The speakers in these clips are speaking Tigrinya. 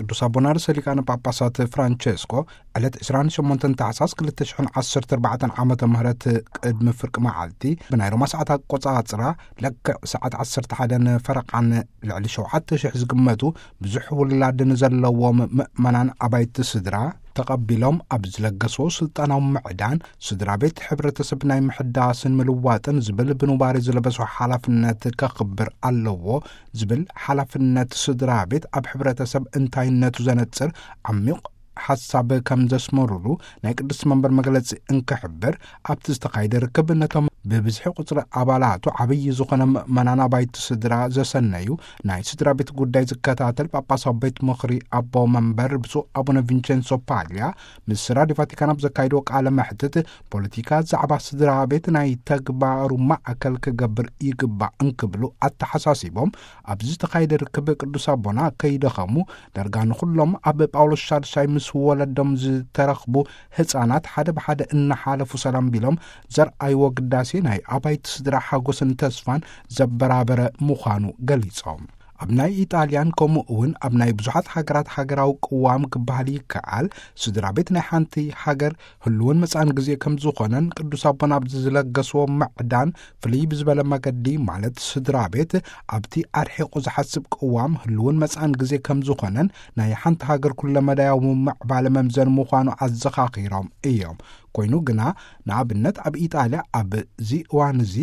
ቅዱስ ኣቦና ርእሰ ሊቃነ ጳጳሳት ፍራንቸስኮ ዕለት ዕስራን ሸሞንተን ታሕሳስ ክልተ ሽሕን ዓሰርተ ኣርባዕተን ዓመተ ምህረት ቅድሚ ፍርቂ መዓልቲ ብናይ ሮማ ሰዓት ኣቆጻጽራ ለክዕ ሰዓት ዓሰርተ ሓደን ፈረቓን ልዕሊ ሸውዓተ ሽሕ ዝግመቱ ብዙሕ ውላድ ንዘለዎም ምእመናን ኣባይቲ ስድራ ተቐቢሎም ኣብ ዝለገስዎ ስልጣናዊ ምዕዳን ስድራ ቤት ሕብረተሰብ ናይ ምሕዳስን ምልዋጥን ዝብል ብኑባሬ ዝለበሶ ሓላፍነት ከኽብር ኣለዎ ዝብል ሓላፍነት ስድራ ቤት ኣብ ሕብረተሰብ እንታይነቱ ዘነጽር ዓሚቕ ሓሳብ ከም ዘስመሩሉ ናይ ቅዱስ መንበር መግለጺ እንክሕብር ኣብቲ ዝተኻየደ ርክብ ነቶም ብብዝሒ ቁጽሪ ኣባላቱ ዓብዪ ዝኾነ ምእመናን ኣባይቲ ስድራ ዘሰነዩ ናይ ስድራ ቤት ጉዳይ ዝከታተል ጳጳሳዊ ቤት ምኽሪ ኣቦ መንበር ብፁዕ ኣቡነ ቪንቸንሶ ፓልያ ምስ ራድዮ ቫቲካን ኣብ ዘካየድዎ ቃለ መሕትት ፖለቲካ ዛዕባ ስድራ ቤት ናይ ተግባሩ ማእከል ክገብር ይግባእ እንክብሉ ኣተሓሳሲቦም ኣብዚ ዝተኻየደ ርክብ ቅዱስ ኣቦና ከይደኸሙ ዳርጋ ንኹሎም ኣብ ጳውሎስ ሻድሻይ ምስ ወለዶም ዝተረኽቡ ህፃናት ሓደ ብሓደ እናሓለፉ ሰላም ቢሎም ዘርኣይዎ ግዳሴ ናይ ኣባይቲ ስድራ ሓጎስን ተስፋን ዘበራበረ ምዃኑ ገሊጾም። ኣብ ናይ ኢጣልያን ከምኡ እውን ኣብ ናይ ብዙሓት ሃገራት ሃገራዊ ቅዋም ክበሃል ይከኣል ስድራ ቤት ናይ ሓንቲ ሃገር ህልውን መጻን ግዜ ከም ዝኾነን ቅዱስ ኣቦና ኣብዚ ዝለገስዎ ምዕዳን ፍልይ ብዝበለ መገዲ ማለት ስድራ ቤት ኣብቲ ኣርሒቑ ዝሓስብ ቅዋም ህልውን መጻን ግዜ ከም ዝኾነን ናይ ሓንቲ ሃገር ኩለመዳያዊ ምዕባለ መምዘን ምዃኑ ኣዘኻኺሮም እዮም። ኮይኑ ግና ንኣብነት ኣብ ኢጣልያ ኣብዚ እዋን እዚ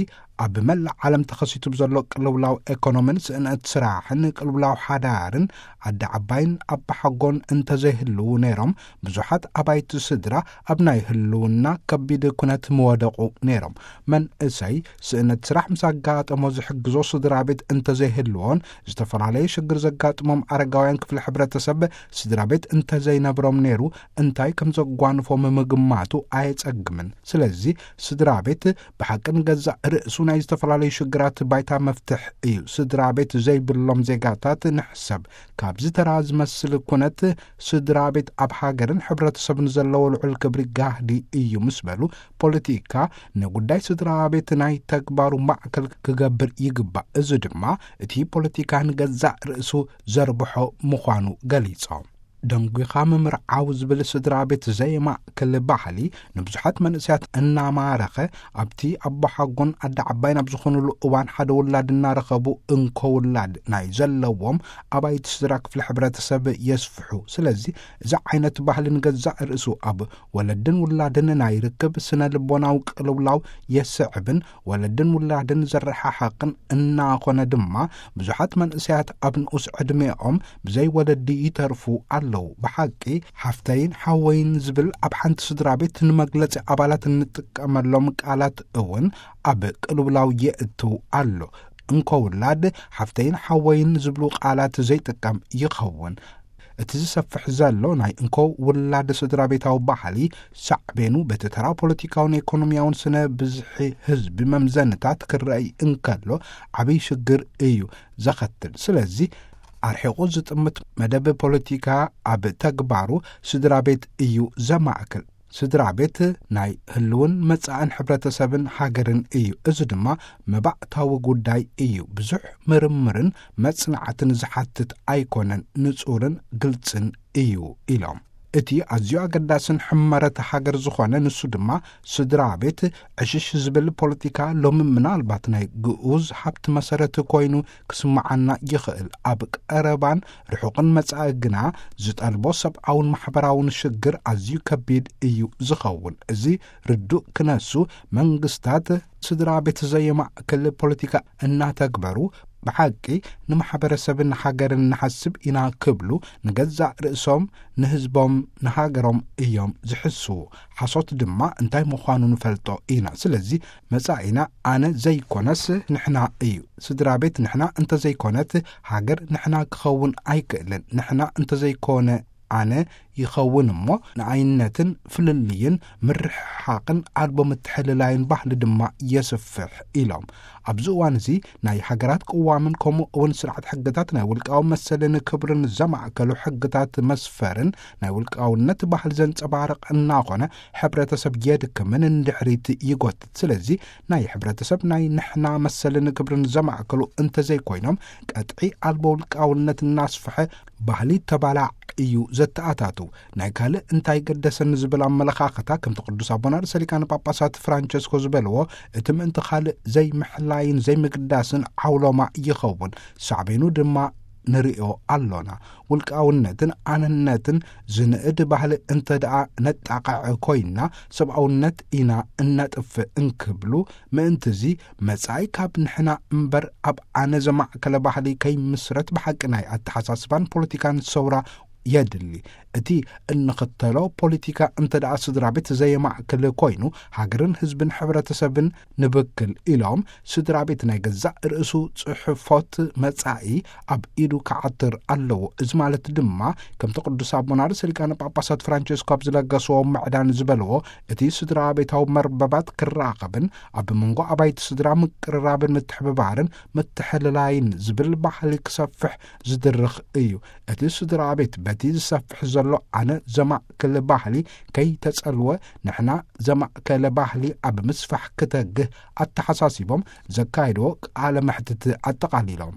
ኣብ መላእ ዓለም ተኸሲቱ ብዘሎ ቅልውላው ኤኮኖሚን ስእነት ስራሕን ቅልውላው ሓዳርን ኣደ ዓባይን ኣባሓጎን እንተዘይህልዉ ነይሮም ብዙሓት ኣባይቲ ስድራ ኣብ ናይ ህልውና ከቢድ ኩነት ምወደቑ ነይሮም። መንእሰይ ስእነት ስራሕ ምስ ኣጋጠሞ ዝሕግዞ ስድራ ቤት እንተዘይህልዎን ዝተፈላለየ ሽግር ዘጋጥሞም ኣረጋውያን ክፍሊ ሕብረተሰብ ስድራ ቤት እንተዘይነብሮም ነይሩ እንታይ ከም ዘጓንፎም ምግማቱ ኣየጸግምን። ስለዚ ስድራ ቤት ብሓቂ ንገዛእ ርእሱ ናይ ዝተፈላለዩ ሽግራት ባይታ መፍትሕ እዩ። ስድራ ቤት ዘይብሎም ዜጋታት ንሕሰብ። ካብዚ ተራ ዝመስል ኩነት ስድራ ቤት ኣብ ሃገርን ሕብረተሰብን ዘለዎ ልዑል ክብሪ ጋህዲ እዩ ምስ በሉ ፖለቲካ ንጉዳይ ስድራ ቤት ናይ ተግባሩ ማዕከል ክገብር ይግባእ። እዚ ድማ እቲ ፖለቲካ ንገዛእ ርእሱ ዘርብሖ ምዃኑ ገሊጾም። ደንጒኻ ምምርዓው ዝብል ስድራ ቤት ዘየማእክል ባህሊ ንብዙሓት መንእሰያት እናማረኸ ኣብቲ ኣቦሓጎን ኣደ ዓባይን ኣብ ዝኾኑሉ እዋን ሓደ ውላድ እናረኸቡ እንኮ ውላድ ናይ ዘለዎም ኣባይቲ ስድራ ክፍሊ ሕብረተሰብ የስፍሑ። ስለዚ እዚ ዓይነት ባህሊ ንገዛእ ርእሱ ኣብ ወለድን ውላድን ናይ ርክብ ስነ ልቦናዊ ቅልውላው የስዕብን ወለድን ውላድን ዘረሓሕቕን እናኾነ ድማ ብዙሓት መንእሰያት ኣብ ንኡስ ዕድሜኦም ብዘይ ወለዲ ይተርፉ ኣለዉ። ብሓቂ ሓፍተይን ሓወይን ዝብል ኣብ ሓንቲ ስድራ ቤት ንመግለጺ ኣባላት እንጥቀመሎም ቃላት እውን ኣብ ቅልውላው የእትው ኣሎ። እንኮ ውላድ ሓፍተይን ሓወይን ዝብሉ ቃላት ዘይጥቀም ይኸውን። እቲ ዝሰፍሕ ዘሎ ናይ እንኮ ውላድ ስድራ ቤታዊ ባህሊ ሳዕቤኑ በቲ ተራ ፖለቲካውን ኢኮኖሚያውን ስነ ብዝሒ ህዝቢ መምዘንታት ክረኣይ እንከሎ ዓብይ ሽግር እዩ ዘኸትል። ስለዚ ኣርሒቑ ዝጥምት መደብ ፖለቲካ ኣብ ተግባሩ ስድራ ቤት እዩ ዘማእክል። ስድራ ቤት ናይ ህልውን መጻእን ሕብረተሰብን ሃገርን እዩ። እዚ ድማ መባእታዊ ጉዳይ እዩ። ብዙሕ ምርምርን መጽናዕትን ዝሓትት ኣይኮነን፣ ንጹርን ግልጽን እዩ ኢሎም። እቲ ኣዝዩ ኣገዳስን ሕመረት ሃገር ዝኾነ ንሱ ድማ ስድራ ቤት ዕሽሽ ዝብል ፖለቲካ ሎሚ ምናልባት ናይ ግኡዝ ሃብቲ መሰረት ኮይኑ ክስምዓና ይኽእል። ኣብ ቀረባን ርሑቕን መጻኢ ግና ዝጠልቦ ሰብኣውን ማሕበራውን ሽግር ኣዝዩ ከቢድ እዩ ዝኸውን። እዚ ርዱእ ክነሱ መንግስታት ስድራ ቤት ዘየማእክል ፖለቲካ እናተግበሩ ብሓቂ ንማሕበረሰብን ሃገርን ንሓስብ ኢና ክብሉ ንገዛእ ርእሶም ንህዝቦም ንሃገሮም እዮም ዝሕስዉ። ሓሶት ድማ እንታይ ምዃኑ ንፈልጦ ኢና። ስለዚ መጻኢና ኣነ ዘይኮነስ ንሕና እዩ። ስድራ ቤት ንሕና እንተዘይኮነት ሃገር ንሕና ክኸውን ኣይክእልን። ንሕና እንተዘይኮነ ኣነ ይኸውን እሞ ንኣይነትን ፍልልይን ምርሕሓቕን ኣልቦ ምትሕልላይን ባህሊ ድማ የስፍሕ ኢሎም። ኣብዚ እዋን እዚ ናይ ሃገራት ቅዋምን ከምኡ እውን ስርዓት ሕግታት ናይ ውልቃዊ መሰልን ክብርን ዘማእከሉ ሕግታት መስፈርን ናይ ውልቃውነት ባህል ዘንጸባርቕ እናኾነ ሕብረተሰብ የድክምን እንድሕሪት ይጎትት። ስለዚ ናይ ሕብረተሰብ ናይ ንሕና መሰልን ክብርን ዘማእከሉ እንተዘይኮይኖም ቀጥዒ ኣልቦ ውልቃውነት እናስፍሐ ባህሊ ተባላዕ እዩ ዘተኣታቱ። ናይ ካልእ እንታይ ገደሰኒ ዝብል ኣመለኻኸታ፣ ከምቲ ቅዱስ ኣቦና ርእሰ ሊቃነ ጳጳሳት ፍራንቸስኮ ዝበልዎ፣ እቲ ምእንቲ ካልእ ዘይምሕላይን ዘይምግዳስን ዓውሎማ ይኸውን። ሳዕቤኑ ድማ ንርእዮ ኣሎና። ውልቃውነትን ኣነነትን ዝንእድ ባህሊ እንተ ደኣ ነጣቕዕ ኮይንና፣ ሰብኣውነት ኢና እነጥፍእ እንክብሉ፣ ምእንትዚ መጻኢ ካብ ንሕና እምበር ኣብ ኣነ ዘማእከለ ባህሊ ከይምስረት ብሓቂ ናይ ኣተሓሳስባን ፖለቲካን ሰውራ የድሊ። እቲ እንኽተሎ ፖለቲካ እንተ ደኣ ስድራ ቤት ዘየማእክል ኮይኑ፣ ሃገርን ህዝብን ሕብረተሰብን ንብክል ኢሎም፣ ስድራ ቤት ናይ ገዛእ ርእሱ ጽሑፎት መጻኢ ኣብ ኢዱ ክዓትር ኣለዎ። እዚ ማለት ድማ፣ ከምቲ ቅዱስ ኣቦና ርእሰ ሊቃነ ጳጳሳት ፍራንቸስኮ ኣብ ዝለገስዎ ምዕዳን ዝበልዎ፣ እቲ ስድራ ቤታዊ መርበባት ክራኸብን ኣብ መንጎ ኣባይቲ ስድራ ምቅርራብን ምትሕብባርን ምትሕልላይን ዝብል ባህሊ ክሰፍሕ ዝድርኽ እዩ። እቲ ስድራ ቤት በቲ ዝሰፍሕ ዘሎ ኣነ ዘማእክል ባህሊ ከይተጸልወ፣ ንሕና ዘማእከለ ባህሊ ኣብ ምስፋሕ ክተግህ ኣተሓሳሲቦም ዘካየድዎ ቃለ መሕትት ኣጠቓሊሎም።